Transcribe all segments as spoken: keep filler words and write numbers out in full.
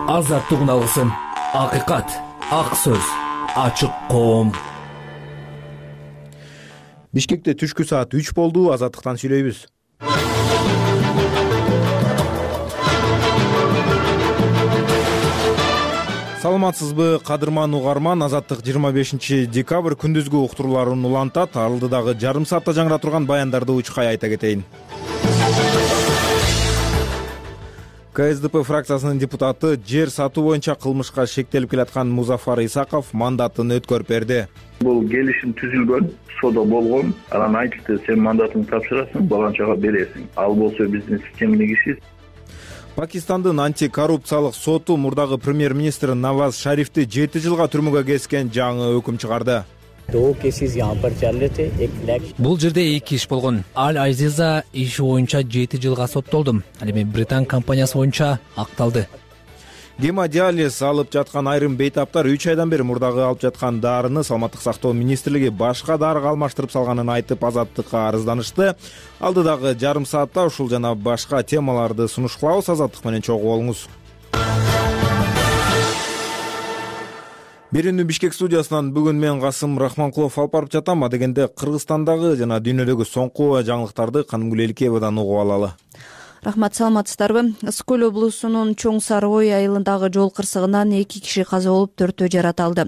Азаттык алгысым, акыйкат, ак сөз, ачык коом. Бишкекте түшкү саат үч болду. Азаттыктан сүйлөйбүз. Саламатсызбы, кадырман угарман. Азаттык жыйырма бешинчи декабрь күндүзгү уктурууларын улантат. Алдыдагы жарым саатта жаңыра турган баяндарды учкай айта кетейин. ка эс дэ пэ фракциясынын депутаты жер сатуу боюнча кылмышка шектелип келаткан Музафар Исаков мандатын өткөрүп берди. Бул келишим түзүлгөн, содо болгон. Анан айтышты, сен мандатыңды тапшырасың, баланчага бересиң. Ал болсо биздин системдик иши. Пакистандын антикоррупциялык соту мурдагы премьер-министр Наваз Шарифти жети жылга түрмөгө кескен жаңы өкүм чыгарды. Бул жерде эки иш болгон. Аль Азиза иши боюнча жети жылга соттолду. Ал эми Британ компаниясы боюнча акталды. Гемодиализ алып жаткан айрым бейтаптар үч айдан бери мурдагы алып жаткан дарыны Саламаттык сактоо министрлиги башка дарыга алмаштырып салганын айтып, Азаттыкка арызданышты. Алдыдагы жарым саатта ушул жана башка темаларды сунуш кылабыз. Азаттык менен чогуу болуңуз. Берүүнү Бишкек студиясынан бүгүн мен Касым Рахманкулов алып барып жатам. Адегенде Кыргызстандагы жана дүйнөдөгү соңку жаңылыктарды Канымгүл Элкеевадан угуп алалы. Рахмат, саламатсыздарбы? Ысык көл облусунун Чоң Сарыой айылындагы жол кырсыгынан эки киши каза болуп, төртөө жараталды.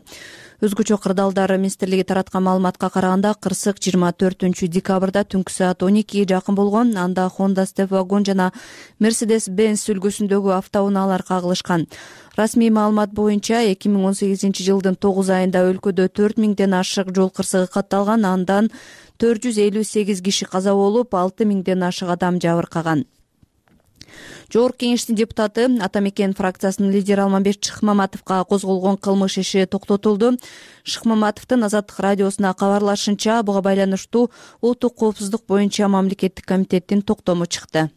Өзгөчө кырдаалдар министрлиги тараткан маалыматка караганда, кырсык жыйырма төртүнчү декабрда түнкү саат он экиге жакын болгон. Анда Honda Step вагон жана Mercedes-Benz үлгүсүндөгү автоунaalар кагылышкан. Расмий маалымат боюнча эки миң он сегизинчи жылдын тогуз айында өлкөдө төрт миңден ашык жол кырсыгы катталган. Андан төрт жүз элүү сегиз киши каза болуп, алты миңден ашык адам жабыркаган. Жогорку кеңештин депутаты Атамекен фракциясынын лидери Алмамбет Шыкмаматовго козголгон кылмыш иши токтотулду. Шыкмаматовдун Азаттык радиосуна кабарлашынча, буга байланыштуу улуттук коопсуздук боюнча мамлекеттик комитеттин токтому чыкты.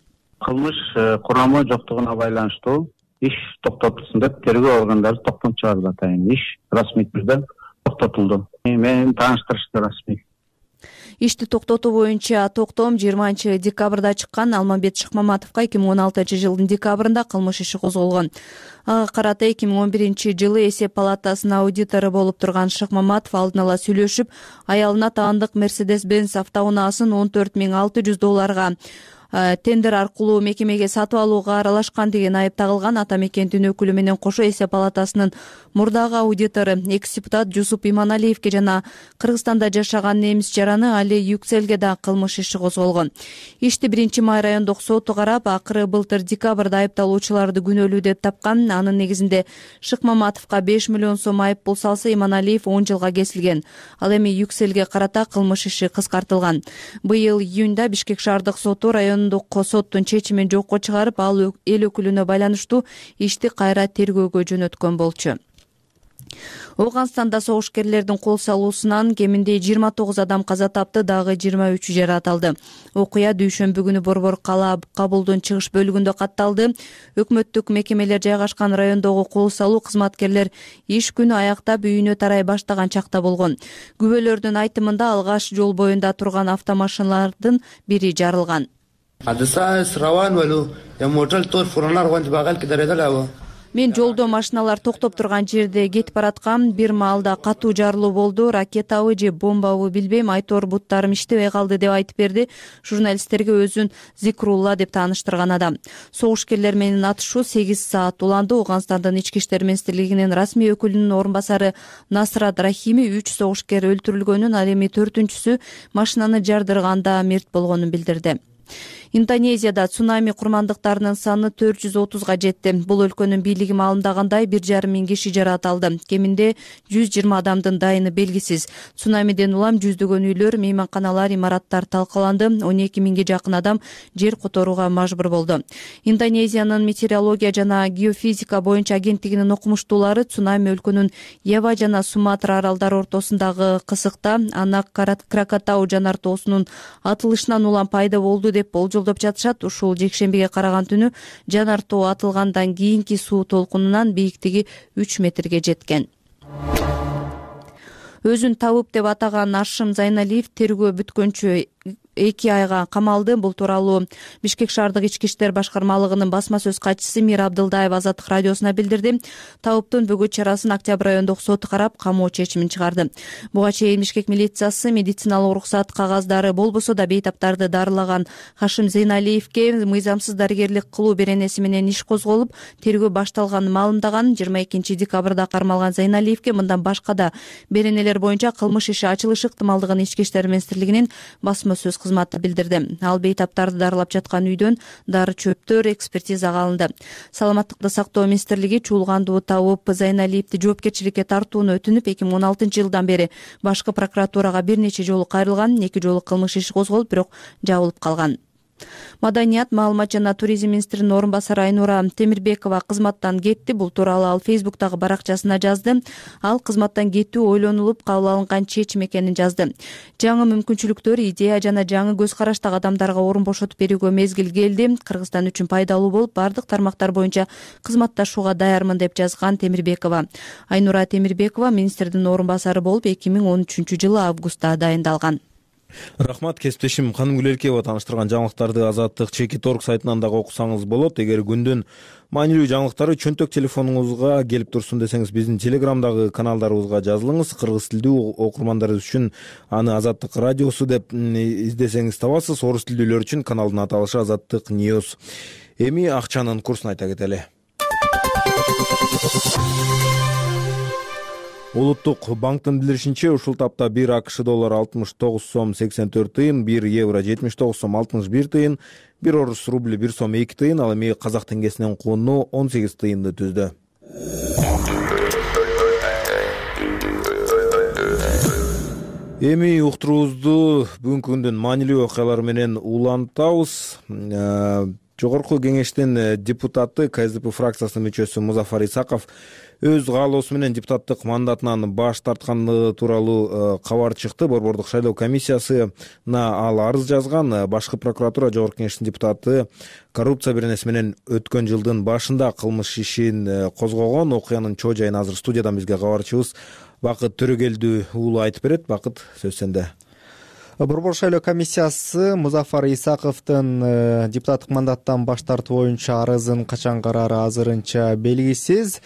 Кылмыш курамы жоктугуна байланыштуу иш токтотулсун деп тергөө органдары токтом чыгарды атайын. Иш расмий түрдө токтотулду. Мени тааныштырышты расмий. Ишти токтотуу боюнча токтом жыйырманчы декабрда чыккан. Алмамбет Шыкмаматовго эки миң он алтынчы жылдын декабрында кылмыш иши козголгон. Ага карата эки миң он биринчи жылы эсеп палатасынын аудитору болуп турган Шыкмаматов алдын ала сүйлөшүп, аялына таандык Mercedes-Benz автоунаасын он төрт миң алты жүз долларга тендер аркылуу мекемеге сатып алууга аралашкан деген айып тагылган. Атамекендин өкүлү менен кошо эсеп палатасынын мурдагы аудитору экс-депутат Жусуп Иманалиевге жана Кыргызстанда жашаган немис жараны Али Юкселге да кылмыш иши козголгон. Ишти биринчи май райондук соту карап, акыры былтыр декабрда айыпталуучуларды күнөөлүү деп тапкан. Анын негизинде Шыкмаматовго беш миллион сом айып пул салса, Иманалиев он жылга кесилген. Ал эми Юкселге карата кылмыш иши кыскартылган. Быйыл июнда Бишкек шаардык соту район соттун чечимин жокко чыгарып, ал эл өкүлүнө байланыштуу ишти кайра тергөөгө жөнөткөн болчу. Ооганстанда согушкерлердин кол салуусунан кеминде жыйырма тогуз адам каза тапты, дагы жыйырма үчү жараталды. Окуя дүйшөмбү күнү Борбор кала Кабулдун чыгыш бөлүгүндө катталды. Өкмөттүк мекемелер жайгашкан райондогу кол салуу кызматкерлер иш күнү аяктап үйүнө тарай баштаган чакта болгон. Күбөлөрдүн айтымында алгаш жол боюнда турган автомашиналардын бири жарылган. Мен жолдо машиналар токтоп турган жерде кетип бараткам. Бир маалда катуу жарылуу болду. Ракетабы же бомбабы билбейм, айтор буттарым иштебей калды деп айтып берди журналисттерге өзүн Зикрулла деп тааныштырган адам. Согушкерлер менен атышуу сегиз саат уланды. Ооганстандын ички иштер министрлигинин расмий өкүлүнүн орун басары Насрат Рахими үч согушкер өлтүрүлгөнүн, ал эми төртүнчүсү машинаны жардырганда мерт болгонун билдирди. Индонезияда цунами курмандыктарынын саны төрт жүз отузга жетти. Бул өлкөнүн бийлиги маалымдагандай бир жарым миң киши жараталды. Кеминде жүз жыйырма адамдын дайыны белгисиз. Цунамиден улам жүздөгөн үйлөр, мейманканалар, имараттар талкаланды. он эки миңге жакын адам жер которууга мажбур болду. Индонезиянын метеорология жана геофизика боюнча агенттигинин окумуштуулары цунами өлкөнүн Ява жана Суматра аралдары ортосундагы кысыкта Анак Кракатау жанар тоосунун атылышынан улам пайда болду деп болжол жолдоп жатышат. Ушул жекшембиге караган түнү жанар тоо атылгандан кийинки суу толкунунан бийиктиги үч метрге жеткен. Өзүн табып деп атаган Ашым Зайналиев тергөө бүткөнчө эки айга камалды. Бул тууралуу Бишкек шаардык ички иштер башкармалыгынын басма сөз катчысы Мира Абдылдаева Азаттык радиосуна билдирди. Табыптын бүгүт чарасын Октябрь айындагы соту карап, камоо чечимин чыгарды. Буга чейин Бишкек милициясы медициналык уруксат кагаздары болбосо да бейтаптарды дарылаган Хашим Зейналиевке мыйзамсыз дарыгерлик кылуу беренеси менен иш козголуп, тергөө башталганын маалымдаган. жыйырма экинчи декабрда кармалган Зейналиевке мындан башка да беренелер боюнча кылмыш иши ачылышы ыктымалдыгын Ички иштер министрлигинин басма сөз кызматы билдирди. Ал бейтаптарды дарылап жаткан үйдөн дары чөптөр экспертизага алынды. Саламаттыкты сактоо министрлиги чуулгандуу табып Зейналиевди жоопкерчиликке тартууну өтүнүп, эки миң он алтынчы жылдан бери башкы прокуратурага бир нече жолу кайрылган. Эки жолу кылмыш иши козголуп, бирок жабылып калган. Маданият, маалымат жана туризм министринин орун басары Айнура Темирбекова кызматтан кетти. Бул тууралуу ал Фейсбуктагы баракчасына жазды. Ал кызматтан кетүү ойлонулуп кабыл алынган чечим экенин жазды. Жаңы мүмкүнчүлүктөр, идея жана жаңы көз караштагы адамдарга орун бошотуп берүүгө мезгил келди. Кыргызстан үчүн пайдалуу болуп, бардык тармактар боюнча кызматташууга даярмын деп жазган Темирбекова. Айнура Темирбекова министрдин орун басары болуп эки миң он үчүнчү жылы августта дайындалган. Рахмат, кесиптешим Канымгүл Элкеева тааныштырган жаңылыктарды Азаттык Чекит орг сайтынан дагы окусаңыз болот. Эгер күндүн маанилүү жаңылыктары чөнтөк телефонуңузга келип турсун десеңиз, биздин Телеграмдагы каналдарыбызга жазылыңыз. Кыргыз тилдүү окурмандарыбыз үчүн аны Азаттык радиосу деп издесеңиз табасыз. Орус тилдүүлөр үчүн каналдын аталышы Азаттык Ньюс. Эми акчанын курсун айта кетели. Улуттук банктын билдиришинче, ушул тапта бир АКШ доллары алтымыш тогуз сом сексен төрт тыйын, бир евро жетимиш тогуз сом алтымыш бир тыйын, бир орус рубли бир сом эки тыйын, ал эми казак теңгесинин кууну он сегиз тыйынды түздү. Эми уктуруубузду бүгүнкү күндүн маанилүү окуялары менен улантабыз. Жогорку кеңештин депутаты, КСДП фракциясынын мүчөсү Музафар Исаков өз каалоосу менен депутаттык мандатынан баш тартканы тууралуу кабар чыкты. Борбордук шайлоо комиссиясына ал арыз жазган. Башкы прокуратура жогорку кеңештин депутаты коррупция беренеси менен өткөн жылдын башында кылмыш ишин козгогон. Окуянын чоо жайын азыр студиядан бизге кабарчыбыз Бакыт Төрөгелдүү уулу айтып берет. Бакыт, сөз сенде. Борбор шайлоо комиссиясы Музафар Исаковдун депутаттык мандаттан баш тартуу боюнча арызын качан караары азырынча белгисиз.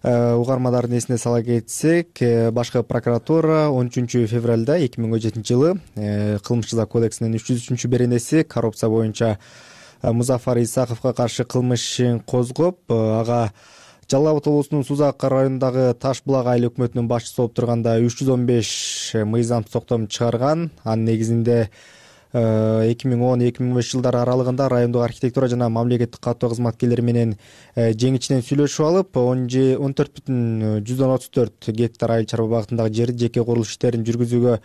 Угармандардын эсине сала кетсек, башкы прокуратура он үчүнчү февралда эки миң он жетинчи жылы кылмыш жаза кодексинин үч жүз үчүнчү беренеси коррупция боюнча Музафар Исаковго каршы кылмыш ишин козгоп, ага Жалал Абад облусунун Сузак районундагы Таш булак айыл өкмөтүнүн башчысы болуп турганда үч жүз он беш мыйзамсыз токтом чыгарган. Анын негизинде эки миң он эки миң он беш жылдар аралыгында райондук архитектура жана мамлекеттик каттоо кызматкерлери менен жең ичинен сүйлөшүп алып, он төрт бүтүн жүздөн отуз төрт гектар айыл чарба багытындагы жерди жеке курулуш иштерин жүргүзүүгө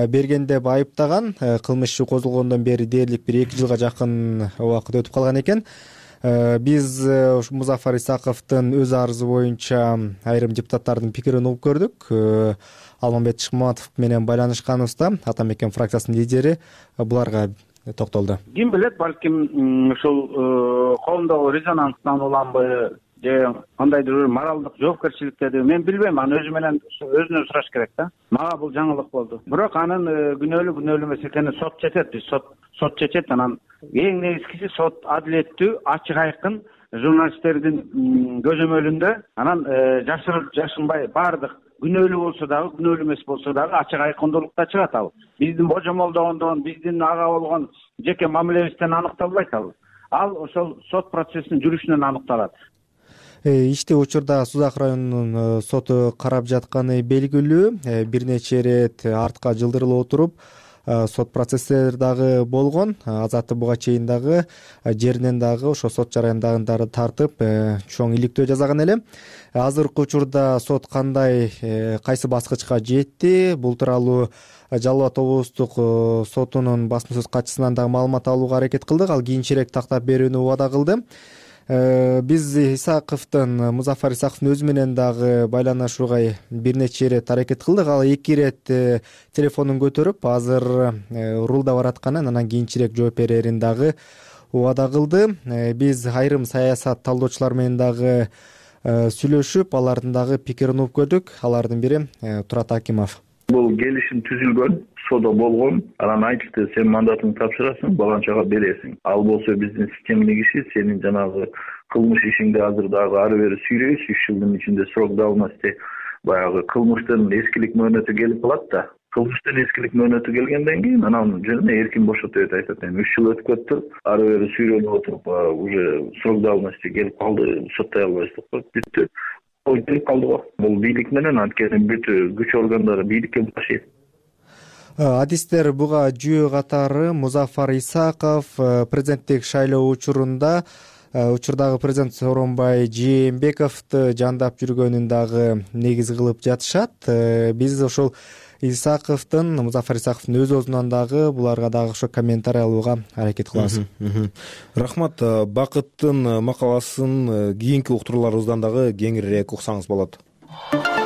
берген деп айыптаган. Кылмыш иши козголгондон бери дээрлик бир эки жылга жакын убакыт өтүп калган экен. Биз Музафар Исаковдун өз арызы боюнча айрым депутаттардын пикирин угуп көрдүк. Алмамбет Шыкмаматов менен байланышканыбызда Ата мекен фракциясынын лидери буларга токтолду. Ким билет, балким ушул коомдогу резонанстан уланбы же кандайдыр бир моралдык жоопкерчиликтеди, мен билбейм. Аны өзү менен өзүнөн сураш керек да. Мага бул жаңылык болду. Бирок анын күнөөлүү күнөөлүү эмес экенин сот чечет. Биз сот сот чечет. Анан эң негизгиси сот адилеттүү, ачык айкын журналисттердин көзөмөлүндө, анан жашырып жашынбай баардык күнөөлүү болсо дагы, күнөөлүү эмес болсо дагы ачык айкындуулукта чыгат ал. Биздин божомолдогондон, биздин ага болгон жеке мамилебизден аныкталбайт ал. Ал ошол сот процессинин жүрүшүнөн аныкталат. Ишти учурда Сузак районунун соту карап жатканы белгилүү. Бир нече ирет артка жылдырылып отуруп, сот процесстер дагы болгон. Азаты буга чейин дагы жеринен дагы ошо сот жараяндагындарды тартып, чоң иликтөө жасаган эле. Азыркы учурда сот кандай, кайсы баскычка жетти, бул тууралуу Жалал Абад облустук сотунун басма сөз катчысынан дагы маалымат алууга аракет кылдык. Ал кийинчерээк тактап берүүнү убада кылды. Биз Исаковдун, Музафар Исаковдун өзү менен дагы байланышууга бир нече ирет аракет кылдык. Ал эки ирет телефонун көтөрүп, азыр рулда баратканын, анан кийинчерээк жооп берерин дагы убада кылды. Биз айрым саясат талдоочулар менен дагы сүйлөшүп, алардын дагы пикирин угуп көрдүк. Алардын бири Турат Акимов. Бул келишим түзүлгөн, соода болгон. Анан айтышты, сен мандатыңды тапшырасың, баланчага бересиң. Ал болсо биздин системдин иши, сенин жанагы кылмыш ишиңди азыр дагы ары бери сүйрөйбүз. үч жылдын ичинде срок давности баягы кылмыштын эскилик мөөнөтү келип калат да. Кылмыштын эскилик мөөнөтү келгенден кийин анан жөн эркин бошотуп деп айтат. Эми үч жыл өтүп кетти. Ары бери сүйрөнүп отуруп уже срок давности келип калды, соттой албайбыз деп коюп бүттү. Ол келип калды го. Бул бийлик менен, анткени бүт күч органдары бийликке башыйт. Адистер буга жүйө катары Музафар Исаков президенттик шайлоо учурунда учурдагы президент Сооронбай Жээнбековду жандап жүргөнүн дагы негиз кылып жатышат. Биз ошол Исаковдун, Музафар Исаковдун өз өзүнөн дагы буларга дагы ошо комментарий алууга аракет кылабыз. Рахмат. Бакыттын макаласын кийинки уктурууларыбыздан дагы кеңирээк уксаңыз болот.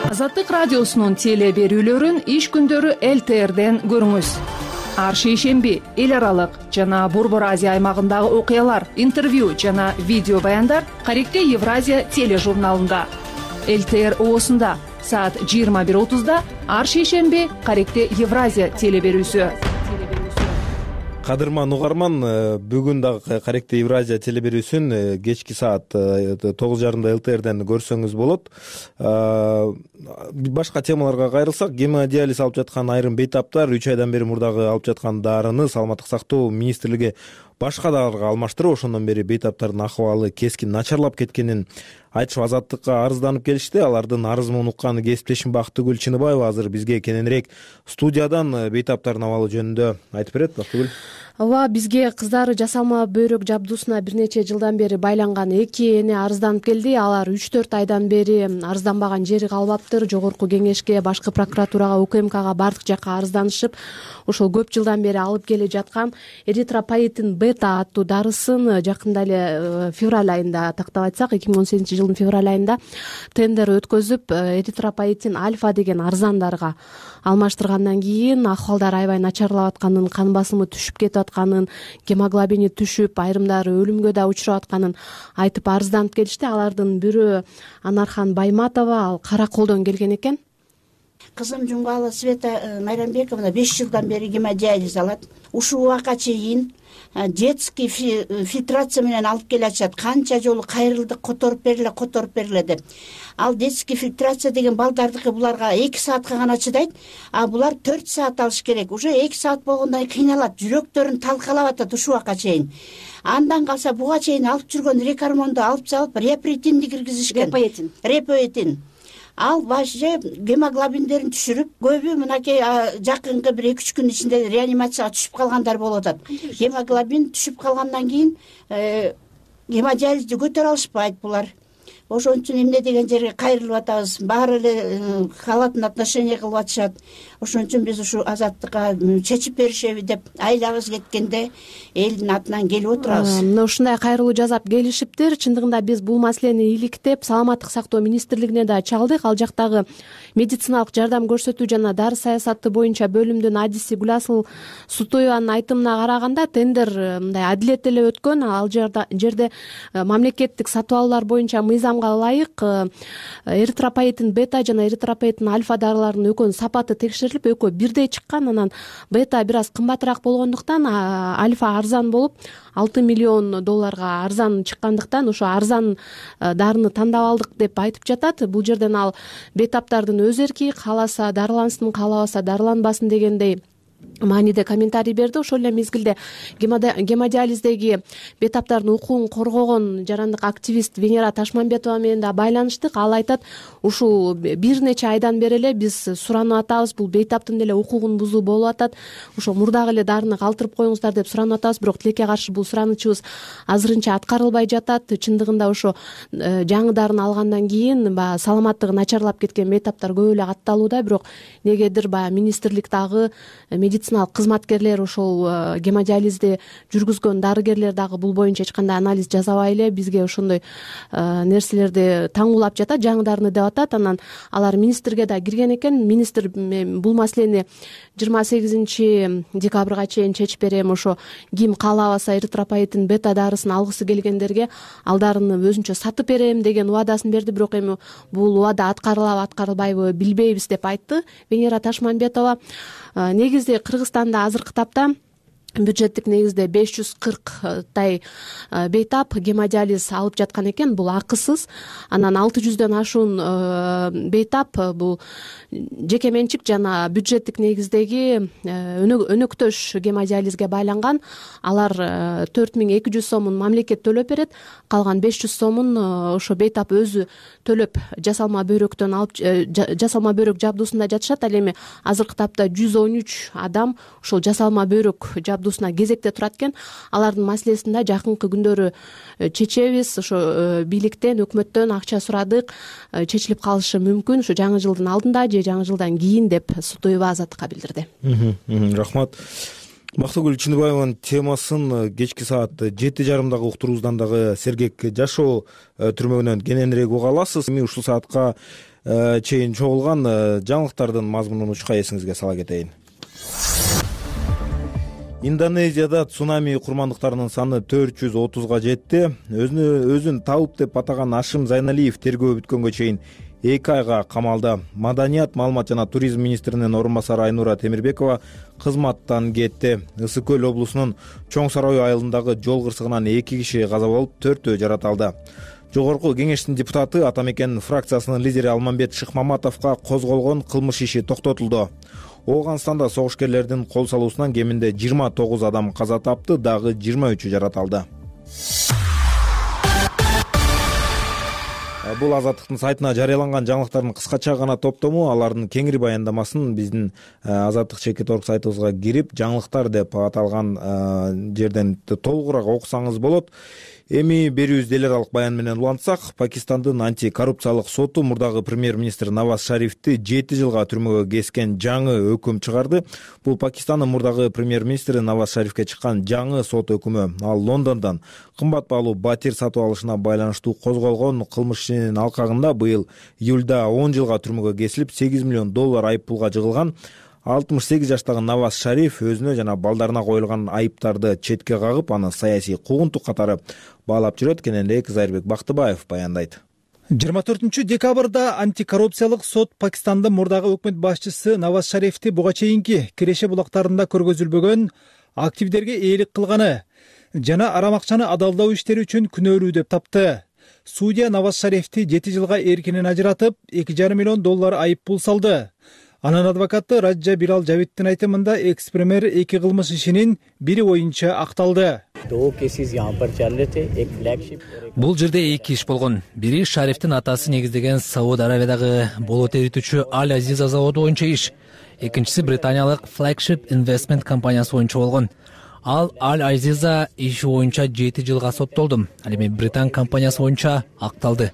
Азаттык радиосунун теле берүүлөрүн иш күндөрү эл тэ эрден көрүңүз. Ар шейшемби эл аралык жана Борбор Азия аймагындагы окуялар, интервью жана видео баяндар Каректе Евразия тележурналында. эл тэ эр оосунда саат жыйырма бир отузда ар шейшемби Каректе Евразия теле берүүсү. Кадырман угарман, бүгүн дагы Каректе Евразия теле берүүсүн кечки саат тогуз жарымда эл тэ эрден көрсөңүз болот. Башка темаларга кайрылсак, гемодиализ алып жаткан айрым бейтаптар үч айдан бери мурдагы алып жаткан дарыны Саламаттык сактоо министрлиги башка дарыга алмаштырып, ошондон бери бейтаптардын акыбалы кескин начарлап кеткенин айтышып азаттыкка арызданып келишти. Алардын арызын уккан кесиптешим Бактыгүл Чыныбаева азыр бизге кененирээк студиядан бейтаптардын абалы жөнүндө айтып берет. Бактыгүл. Ооба, бизге кыздары жасалма бөйрөк жабдуусуна бир нече жылдан бери байланган эки эне арызданып келди. Алар үч төрт айдан бери арызданбаган жери калбаптыр. Жогорку кеңешке, башкы прокуратурага, У К М Кга бардык жакка арызданышып, ошол көп жылдан бери алып келе жаткан эритропоетин бета аттуу дарысын жакында эле февраль айында, тактап айтсак эки миң он сегизинчи жылдын февраль айында тендер өткөзүп, эритропоетин альфа деген арзан дарыга алмаштыргандан кийин акыбалдары аябай начарлап атканын, кан басымы түшүп кетип атканын, гемоглобини түшүп, айрымдары өлүмгө да учурап атканын айтып арызданып келишти. Алардын бирөө Анархан Байматова, ал Кара Колдон келген экен. Кызым Жумгалы Света Майрамбековна беш жылдан бери гемодиализ алат. Ушул убакка чейин детский фильтрация менен алып келе атышат. Канча жолу кайрылдык, которуп бергиле, которуп бергиле деп. Ал детский фильтрация деген балдардыкы буларга эки саатка гана чыдайт, а булар төрт саат алыш керек. Уже эки саат болгондон кийин кыйналат, жүрөктөрүн талкалап атат ушул убакка чейин. Андан калса буга чейин алып жүргөн рекормонду алып салып, репоетинди киргизишкен. Репоетин. Репоетин. Ал башчы гемоглобиндерин түшүрүп, көбү мынакей жакынкы бир эки үч күн ичинде реанимацияга түшүп калгандар болуп атат. Гемоглобин түшүп калгандан кийин гемодиализди көтөрө алышпайт булар. Ошон үчүн эмне деген жерге кайрылып атабыз. Баары эле халатын отношение кылып атышат. Ошон үчүн биз ушу азаттыкка чечип беришеби деп айлабыз кеткенде элдин атынан келип отурабыз. Мына ушундай кайрылуу жасап келишиптир. Чындыгында биз бул маселени иликтеп, Саламаттык сактоо министрлигине да чалдык. Ал жактагы медициналык жардам көрсөтүү жана дары саясаты боюнча бөлүмдүн адиси Гүласыл Сутоеванын айтымына караганда, тендер мындай адилет эле өткөн. Ал жерде мамлекеттик сатып алуулар боюнча мыйзамга ылайык эритропоетин бета жана эритропоетин альфа дарыларынын экөөнүн сапаты текшерилип, экөө бирдей чыккан. Анан бета бир аз кымбатыраак болгондуктан, альфа арзан болуп алты миллион долларга арзан чыккандыктан ошо арзан дарыны тандап алдык деп айтып жатат. Бул жерден ал бейтаптардын өз эрки, кааласа дарылансын, каалабаса дарыланбасын дегендей мааниде комментарий берди. Ошол эле мезгилде гемодиализдеги бейтаптардын укугун коргогон жарандык активист Венера Ташмамбетова менен да байланыштык. Ал айтат, ушул бир нече айдан бери эле биз суранып атабыз, бул бейтаптын деле укугун бузуу болуп атат, ошо мурдагы эле дарыны калтырып коюңуздар деп суранып атабыз. Бирок тилекке каршы бул суранычыбыз азырынча аткарылбай жатат. Чындыгында ошо жаңы дарыны алгандан кийин баягы саламаттыгы начарлап кеткен бейтаптар көп эле катталууда. Бирок негедир баягы министрлик дагы, медициналык кызматкерлер, ошол гемодиализди жүргүзгөн дарыгерлер дагы бул боюнча эч кандай анализ жасабай эле бизге ошондой нерселерди таңуулап жатат, жаңы дарыны деп атат. Анан алар министрге да кирген экен. Министр бул маселени жыйырма сегизинчи декабрга чейин чечип берем, ошо ким каалабаса эритропоетин бета дарысын алгысы келгендерге ал дарыны өзүнчө сатып берем деген убадасын берди. Бирок эми бул убада аткарылабы аткарылбайбы билбейбиз деп айтты Венера Ташмамбетова. Негизде эми Кыргызстанда азыркы тапта бюджеттик негизде беш жүз кырктай бейтап гемодиализ алып жаткан экен. Бул акысыз. Анан алты жүздөн ашуун бейтап бул жеке менчик жана бюджеттик негиздеги өнөктөш гемодиализге байланган. Алар төрт миң эки жүз сомун мамлекет төлөп берет. Калган беш жүз сомун ошо бейтап өзү төлөп жасалма бөйрөктөн алып жасалма бөйрөк жабдуусунда жатышат. Ал эми азыркы тапта жүз он үч адам ушул жасалма бөйрөк жабдуусуна кезекте турат экен. Алардын маселесин да жакынкы күндөрү чечебиз. Ошо бийликтен, өкмөттөн акча сурадык, чечилип калышы мүмкүн ушу жаңы жылдын алдында же жаңы жылдан кийин деп Сутуева Азаттыкка билдирди. Рахмат. Бактыгүл Чындыбаеванын темасын кечки саат жети жарымдагы уктуруубуздан дагы сергек жашоо түрмөгүнөн кененирээк уга аласыз. Эми ушул саатка чейин чогулган жаңылыктардын мазмунун учка эсиңизге сала кетейин. Индонезияда цунами курмандыктарынын саны төрт жүз отузга жетти. Өзүнө өзүн табып деп атаган Ашим Зайналиев тергөө бүткөнгө чейин эки айга камалды. Маданият, маалымат жана туризм министринин орун басары Айнура Темирбекова кызматтан кетти. Ысык көл облусунун Чоң Сарой айылындагы жол кырсыгынан эки киши каза болуп, төртөө жараталды. Жогорку кеңештин депутаты Атамекен фракциясынын лидери Алмамбет Шыкмаматовго козголгон кылмыш иши токтотулду. Ооганстанда согушкерлердин кол салуусунан кеминде жыйырма тогуз адам каза тапты, дагы жыйырма үчү жараталды. Бул Азаттыктын сайтына жарыяланган жаңылыктардын кыскача гана топтому. Алардын кеңири баяндамасын биздин Азаттык чекит точка орг сайтыбызга кирип, жаңылыктар деп аталган жерден толугураак окусаңыз болот. Эми берүүбүздү эл аралык баян менен улантсак, Пакистандын антикоррупциялык соту мурдагы премьер-министр Наваз Шарифти жети жылга түрмөгө кескен жаңы өкүм чыгарды. Бул Пакистандын мурдагы премьер-министри Наваз Шарифке чыккан жаңы сот өкүмү. Ал Лондондон кымбат баалуу батир сатып алышына байланыштуу козголгон кылмыш ишинин алкагында быйыл июлда он жылга түрмөгө кесилип, сегиз миллион доллар айып пулга жыгылган. алтымыш сегиз жаштагы Наваз Шариф өзүнө жана балдарына коюлган айыптарды четке кагып, аны саясий куугунтук катары баалап жүрөт. Кененирээк Зайырбек Бактыбаев баяндайт. жыйырма төртүнчү декабрда антикоррупциялык сот Пакистандын мурдагы өкмөт башчысы Наваз Шарифти буга чейинки Киреше булактарында көргөзүлбөгөн активдерге ээлик кылганы жана арам акчаны адалдоо иштери үчүн күнөөлүү деп тапты. Судья Наваз Шарифти жети жылга эркинен ажыратып, эки жарым миллион доллар айып пул салды. Анын адвокаты Раджа Бирал Жавиттин айтымында экс-премьер эки кылмыш ишинин бири боюнча акталды. Бул жерде эки иш болгон. Бири Шарифтин атасы негиздеген Сауд Аравиядагы болот эритүүчү Аль Азиза заводу боюнча иш. Экинчиси британиялык Flagship Investment компаниясы боюнча болгон. Ал Аль Азиза иши боюнча жети жылга соттолду. Ал эми Британ компаниясы боюнча акталды.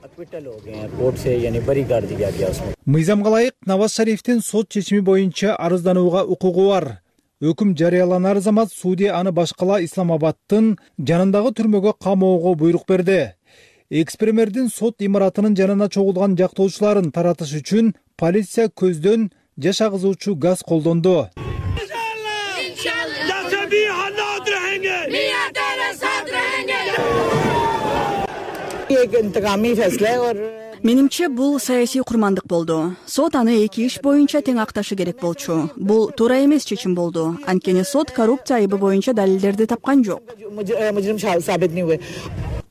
Мыйзамга ылайык Наваз Шарифтин сот чечими боюнча арызданууга укугу бар. Өкүм жарыяланар замат судья аны башкала Исламабадтын жанындагы түрмөгө камоого буйрук берди. Экс-премьердин сот имаратынын жанына чогулган жактоочуларын таратыш үчүн полиция көздөн жаш агызуучу газ колдонду. Менимче бул саясий курмандык болду. Сот аны эки иш боюнча тең акташы керек болчу. Бул туура эмес чечим болду. Анткени сот коррупция айыбы боюнча далилдерди тапкан жок.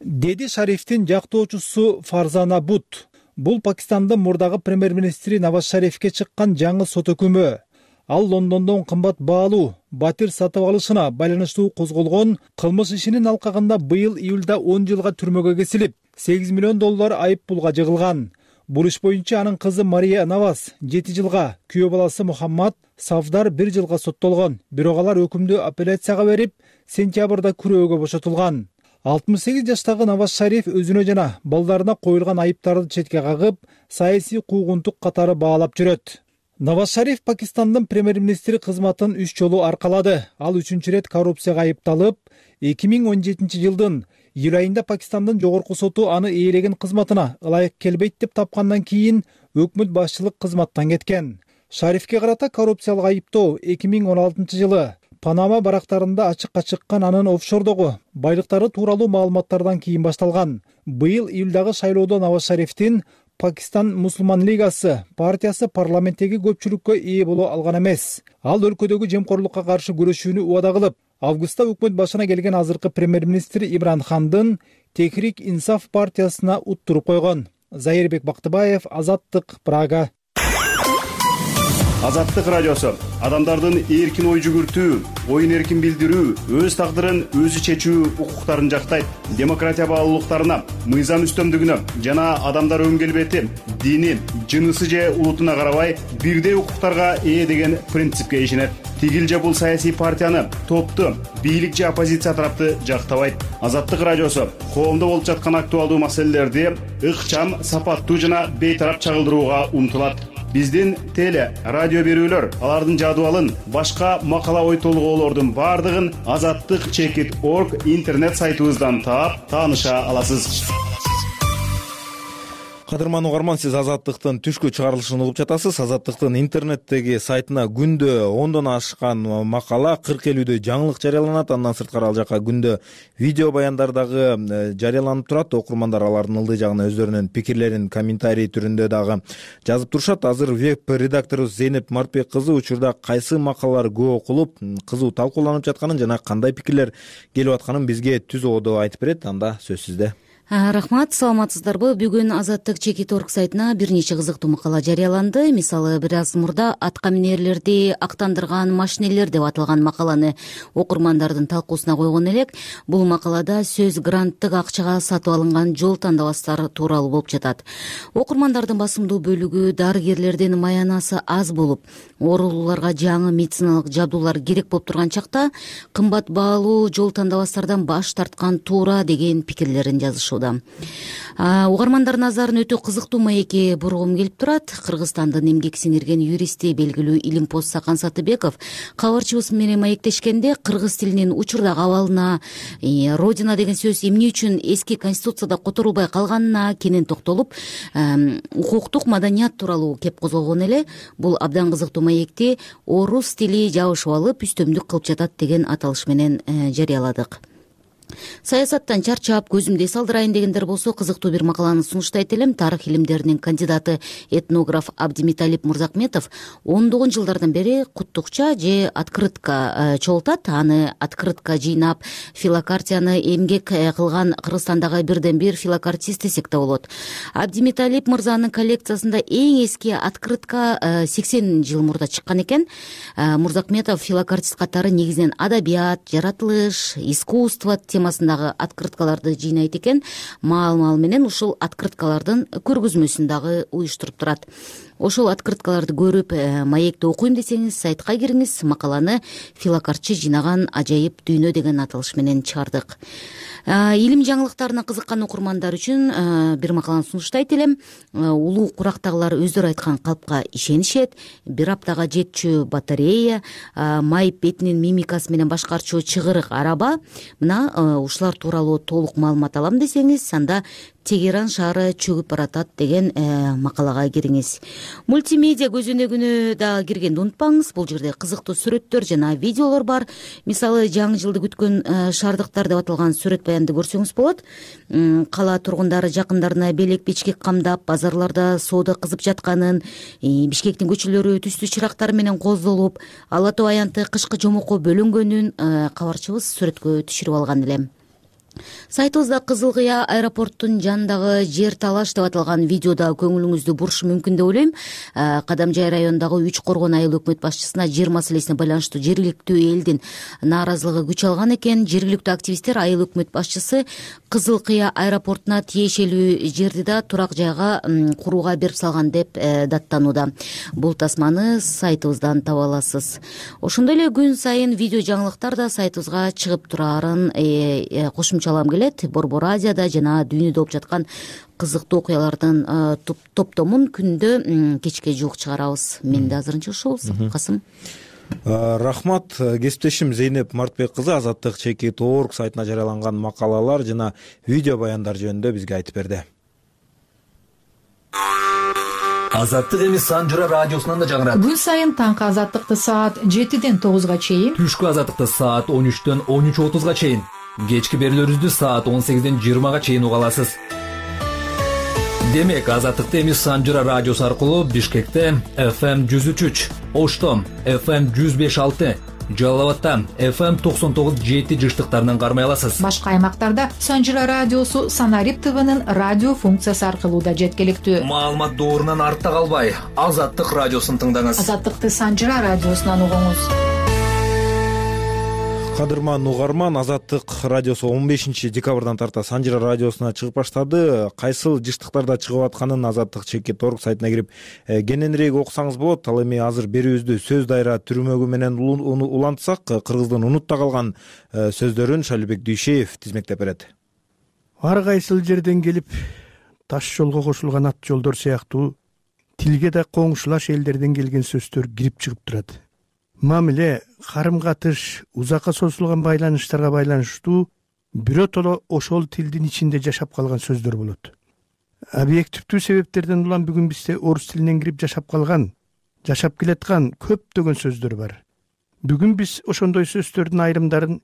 Деди Шарифтин жактоочусу Фарзана Бут. Бул Пакистандын мурдагы премьер-министри Наваз Шарифке чыккан жаңы сот өкүмү. Ал Лондондон кымбат баалуу батир сатып алышына байланыштуу козголгон кылмыш ишинин алкагында быйыл июлда он жылга түрмөгө кесилип, сегиз миллион доллар айып пулга жыгылган. Бул иш боюнча анын кызы Мария Наваз жети жылга, күйөө баласы Мухаммад Савдар бир жылга соттолгон. Бирок алар өкүмдү апелляцияга берип, сентябрда күрөөгө бошотулган. алтымыш сегиз жаштагы Наваз Шариф өзүнө жана балдарына коюлган айыптарды четке кагып, саясий куугунтук катары баалап жүрөт. Наваз Шариф Пакистандын премьер-министри кызматын үч жолу аркалады. Ал үчүнчү ирет коррупцияга айыпталып, эки миң он жетинчи жылдын июль айында Пакистандын жогорку соту аны ээлеген кызматына ылайык келбейт деп тапкандан кийин өкмөт башчылык кызматтан кеткен. Шарифке карата коррупциялык айыптоо эки миң он алтынчы жылы Панама барактарында ачыкка чыккан анын офшордогу байлыктары тууралуу маалыматтардан кийин башталган. Быйыл июлдагы шайлоодо Наваз Шарифтин Пакистан мусулман лигасы партиясы парламенттеги көпчүлүккө ээ боло алган эмес. Ал өлкөдөгү жемкорлукка каршы күрөшүүнү убада кылып, августта өкмөт башына келген азыркы премьер-министр Имран Хандын Техрик Инсаф партиясына уттуруп койгон. Зайырбек Бактыбаев, Азаттык, Прага. Азаттык радиосу адамдардын эркин ой жүгүртүү, оюн эркин билдирүү, өз тагдырын өзү чечүү укуктарын жактайт. Демократия баалуулуктарына, мыйзам үстөмдүгүнө жана адамдар өң келбети, дини, жынысы же улутуна карабай бирдей укуктарга ээ деген принципке ишенет. Тигил же бул саясий партияны, топту, бийлик же оппозиция тарапты жактабайт. Азаттык радиосу коомдо болуп жаткан актуалдуу маселелерди ыкчам, сапаттуу жана бейтарап чагылдырууга умтулат. Биздин теле, радио берүүлөр, алардын жадыбалын, башка макала ой толгоолордун бардыгын азаттык чекит точка орг интернет сайтыбыздан таап, тааныша аласыз. Кадырман угарман, сиз Азаттыктын түшкү чыгарылышын угуп жатасыз. Азаттыктын интернеттеги сайтына күндө ондон ашкан макала, кырк элүүдө жаңылык жарыяланат. Андан сырткары ал жака күндө видео баяндар дагы жарыяланып турат. Окурмандар алардын ылдый жагына өздөрүнүн пикирлерин комментарий түрүндө дагы жазып турушат. Азыр веб-редакторубуз Зейнеп Мартбек кызы учурда кайсы макалалар көп окулуп, кызуу талкууланып жатканын жана кандай пикирлер келип атканын бизге түз ободо айтып берет. Анда сөз сизде. Рахмат, саламатсыздарбы? Бүгүн Азаттык чекит точка орг сайтына бир нече кызыктуу макала жарыяланды. Мисалы, бир аз мурда атка минерлерди актандырган машинелер деп аталган макаланы окурмандардын талкуусуна койгон элек. Бул макалада сөз гранттык акчага сатып алынган жол тандабастар тууралуу болуп жатат. Окурмандардын басымдуу бөлүгү дарыгерлердин маянасы аз болуп, оорулууларга жаңы медициналык жабдуулар керек болуп турган чакта кымбат баалуу жол тандабастардан баш тарткан туура деген пикирлерин жазышууда. Угармандардын назарын өтө кызыктуу маекке бургум келип турат. Кыргызстандын эмгек сиңирген юристи, белгилүү Илимпоз Сакан Сатыбеков кабарчыбыз менен маектешкенде кыргыз тилинин учурдагы абалына, родина деген сөз эмне үчүн эски конституцияда которулбай калганына кенен токтолуп, укуктук маданият тууралуу кеп козгогон эле. Бул абдан кызыктуу маекти орус тили жабышып алып, үстөмдүк кылып жатат деген аталыш менен жарыяладык. Саясаттан чарчап, көзүмдү эс алдырайын дегендер болсо, кызыктуу бир макаланы сунуштайт элем. Тарых илимдеринин кандидаты этнограф Абдимиталип Мурзакметов ондогон жылдардан бери куттукча же открытка чогултат. Аны открытка жыйнап, филокартияны эмгек кылган Кыргызстандагы бирден бир филокартист десек да болот. Абдимиталип мырзанын коллекциясында эң эски открытка сексен жыл мурда чыккан экен. Мурзакметов филокартист катары негизинен адабият, жаратылыш, искусство темасындагы открыткаларды жыйнайт экен. Маал-маал менен ушул открыткалардын көргөзмөсүн дагы уюштуруп турат. Ошол открыткаларды көрүп, маекти окуйм десеңиз, сайтка кириңиз. Макаланы филокартчы жыйнаган ажайып дүйнө деген аталыш менен чыгардык. Илим жаңылыктарына кызыккан окурмандар үчүн бир макаланы сунуштайт элем. Улуу курактагылар өздөрү айткан калпка ишенишет. Бир аптага жетчү батарея, майып бетинин мимикасы менен башкарчу чыгырык араба. Мына ушулар тууралуу толук маалымат алам десеңиз, анда Тегеран шаары чөгүп баратат деген макалага кириңиз. Мультимедиа көзөнөгүнө дагы киргенди унутпаңыз. Бул жерде кызыктуу сүрөттөр жана видеолор бар. Мисалы, жаңы жылды күткөн шаардыктар деп аталган сүрөт баянды көрсөңүз болот. Кала тургундары жакындарына белек бечкек камдап, базарларда соода кызып жатканын, Бишкектин көчөлөрү түстүү чырактар менен коздолуп, Ала Тоо аянты кышкы жомокко бөлөнгөнүн кабарчыбыз сүрөткө түшүрүп алган эле. Сайтыбызда Кызыл Кыя аэропорттун жанындагы жер талаш деп аталган видеода көңүлүңүздү бурушу мүмкүн деп ойлойм. Кадамжай районундагы Үч Коргон айыл өкмөт башчысына жер маселесине байланыштуу жергиликтүү элдин нааразылыгы күч алган экен. Жергиликтүү активисттер айыл өкмөт башчысы Кызыл Кыя аэропортуна тиешелүү жерди да турак жайга курууга берип салган деп даттанууда. Бул тасманы сайтыбыздан таба аласыз. Ошондой эле күн сайын видео жаңылыктар да сайтыбызга чыгып турарын кошумчалам келет. Борбор Азияда жана дүйнөдө болуп жаткан кызыктуу окуялардын топтомун күндө кечке жуук чыгарабыз. Менде азырынча ушул. Касым. Рахмат. Кесиптешим Зейнеп Мартбек кызы Азаттык чекит точка орг сайтына жарыяланган макалалар жана видео баяндар жөнүндө бизге айтып берди. Азаттык эми Санжыра радиосунан да жаңырат. Күн сайын таңкы азаттыкты саат жетиден тогузга чейин, түшкү азаттыкты саат он үчтөн он үч отузга чейин, кечки берүүлөрүбүздү саат он сегизден жыйырмага чейин уга аласыз. демек азаттыкты эми Санжыра радиосу аркылуу Бишкекте эф эм жүз үч үч, Оштом эф эм жүз беш алты, Жалал абадта эф эм токсон тогуз жети жыштыктарынан кармай аласыз. Башка аймактарда Санжыра радиосу Санарип ТВнын радио функциясы аркылуу да жеткиликтүү. Маалымат доорунан артта калбай, Азаттык радиосун тыңдаңыз. Азаттыкты Санжыра радиосунан угуңуз. Кадырман угарман, Азаттык радиосу он бешинчи декабрдан тарта Санжыра радиосуна чыгып баштады. Кайсыл жыштыктарда чыгып атканын Азаттык чекит орг сайтына кирип кененирээк окусаңыз болот. Ал эми азыр берүүбүздү сөз дайра түрмөгү менен улантсак, кыргыздын унутта калган сөздөрүн Шалибек Дүйшеев тизмектеп берет. Ар кайсыл жерден келип таш жолго кошулган ат жолдор сыяктуу тилге да коңшулаш элдерден келген сөздөр кирип чыгып турат. Мамиле, карым-катыш, узакка созулган байланыштарга байланыштуу биротоло ошол тилдин ичинде жашап калган сөздөр болот. Объективдүү себептерден улам бүгүн бизде орус тилинен кирип жашап калган, жашап келаткан көптөгөн сөздөр бар. Бүгүн биз ошондой сөздөрдүн айрымдарын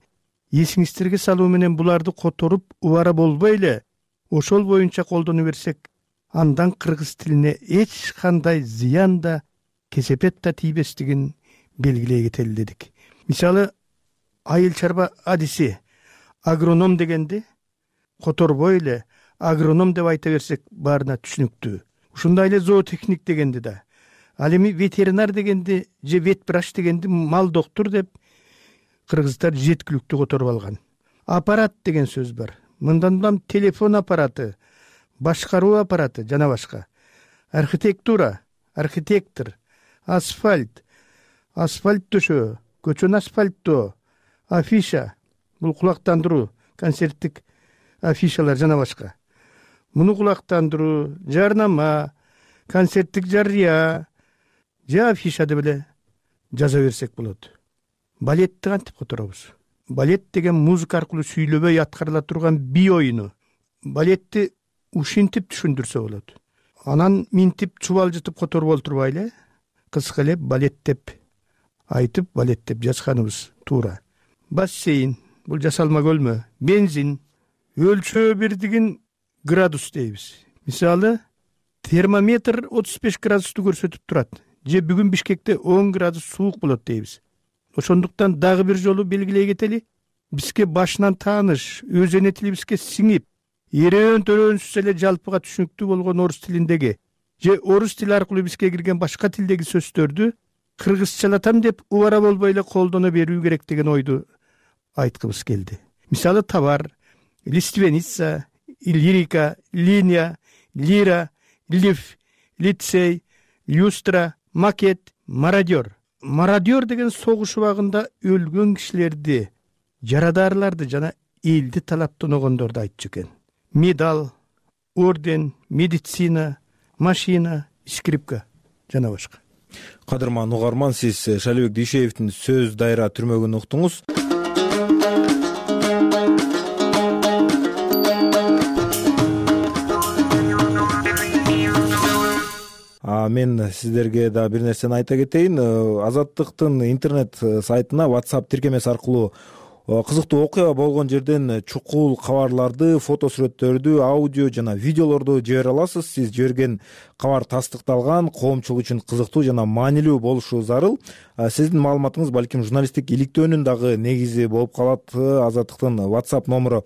эсиңиздерге салуу менен буларды которуп, убара болбой эле ошол боюнча колдоно берсек, андан кыргыз тилине эч кандай зыян да, кесепет да тийбестигин белгилей кетели дедик. Мисалы, айыл чарба адиси агроном дегенди которбой эле агроном деп айта берсек баарына түшүнүктүү. Ушундай эле зоотехник дегенди да. Ал эми ветеринар дегенди же ветврач дегенди мал доктур деп кыргыздар жеткиликтүү которуп алган. Аппарат деген сөз бар. Мындан улам телефон аппараты, башкаруу аппараты жана башка. Архитектура, архитектор, асфальт, асфальт төшөө, көчөнү асфальттоо, афиша, бул кулактандыруу, концерттик афишалар жана башка. Муну кулактандыруу, жарнама, концерттик жарыя, же афиша деп эле жаза берсек болот. Балетти кантип которобуз? Балет деген музыка аркылуу сүйлөбөй аткарыла турган би оюну. Балетти ушинтип түшүндүрсө болот. Анан минтип чубалжытып которуп олтурбайлы, кыска эле балет деп айтып, балет деп жазганыбыз туура. Бассейн, бул жасалма көлмө, бензин, өлчөө бирдигин градус дейбиз. Мисалы, термометр отуз беш градусту көрсөтүп турат. Же бүгүн Бишкекте он градус суук болот дейбиз. Ошондуктан дагы бир жолу белгилей кетели, бизге башынан тааныш, өз эне тилибизге сиңип, эреөн төрөөнсүз эле жалпыга түшүнүктүү болгон орус тилиндеги же орус тили аркылуу бизге кирген башка тилдеги сөздөрдү кыргызчалатам деп убара болбой эле колдоно берүү керек деген ойду айткыбыз келди. Мисалы, товар, лиственница, лирика, линия, лира, лиф, лицей, люстра, макет, мародер. Мародер деген согуш убагында өлгөн кишилерди, жарадарларды жана элди талаптоногондорду айтчу экен. Медал, орден, медицина, машина, скрипка жана башка. Кадырман угарман, сиз Шалибек Дүйшеевдин сөз дайра түрмөгүн уктуңуз. Мен сиздерге да бир нерсени айта кетейин. Азаттыктын интернет сайтына WhatsApp тиркемеси аркылуу кызыктуу окуя болгон жерден чукул кабарларды, фото сүрөттөрдү, аудио жана видеолорду жибере аласыз. Сиз жиберген кабар тастыкталган, коомчулук үчүн кызыктуу жана маанилүү болушу зарыл. Сиздин маалыматыңыз балким журналисттик иликтөөнүн дагы негизи болуп калат. Азаттыктын WhatsApp номеру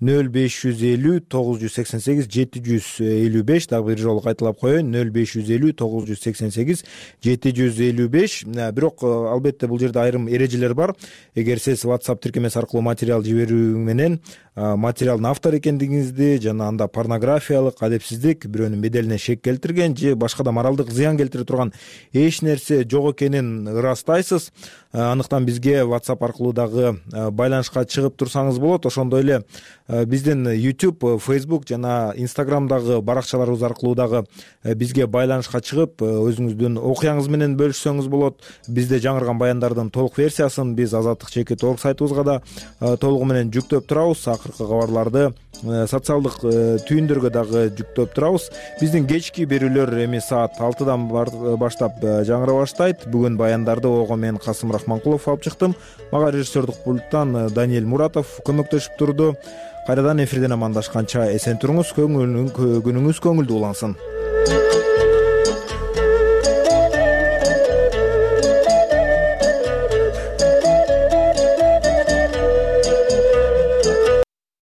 нөл беш жүз элүү тогуз жүз сексен сегиз жети жүз элүү беш. Дагы бир жолу кайталап коеюн: нөл беш жүз элүү тогуз жүз сексен сегиз жети жүз элүү беш. Бирок албетте бул жерде айрым эрежелер бар. Эгер сиз WhatsApp тиркемеси аркылуу материал жиберүү менен материалдын автор экендигиңизди жана анда порнографиялык, адепсиздик, бирөөнүн беделине шек келтирген же башка да моралдык зыян келтире турган эч нерсе жок экенин ырастайсыз. Андыктан бизге WhatsApp аркылуу дагы байланышка чыгып турсаңыз болот. Ошондой эле биздин YouTube, Facebook жана Instagramдагы баракчаларыбыз аркылуу дагы бизге байланышка чыгып, өзүңүздүн окуяңыз менен бөлүшсөңүз болот. Бизде жаңырган баяндардын толук версиясын биз Азаттык чекит орг сайтыбызга да толугу менен жүктөп турабыз. Акыркы акыркы кабарларды социалдык түйүндөргө дагы жүктөп турабыз. Биздин кечки берүүлөр эми саат алтыдан баштап жаңыра баштайт. Бүгүн баяндарды ого мен Касым Рахманкулов алып чыктым. Мага режиссердик пульттан Даниэль Муратов көмөктөшүп турду. Кайрадан эфирден амандашканча эсен туруңуз, күнүңүз көңүлдүү улансын.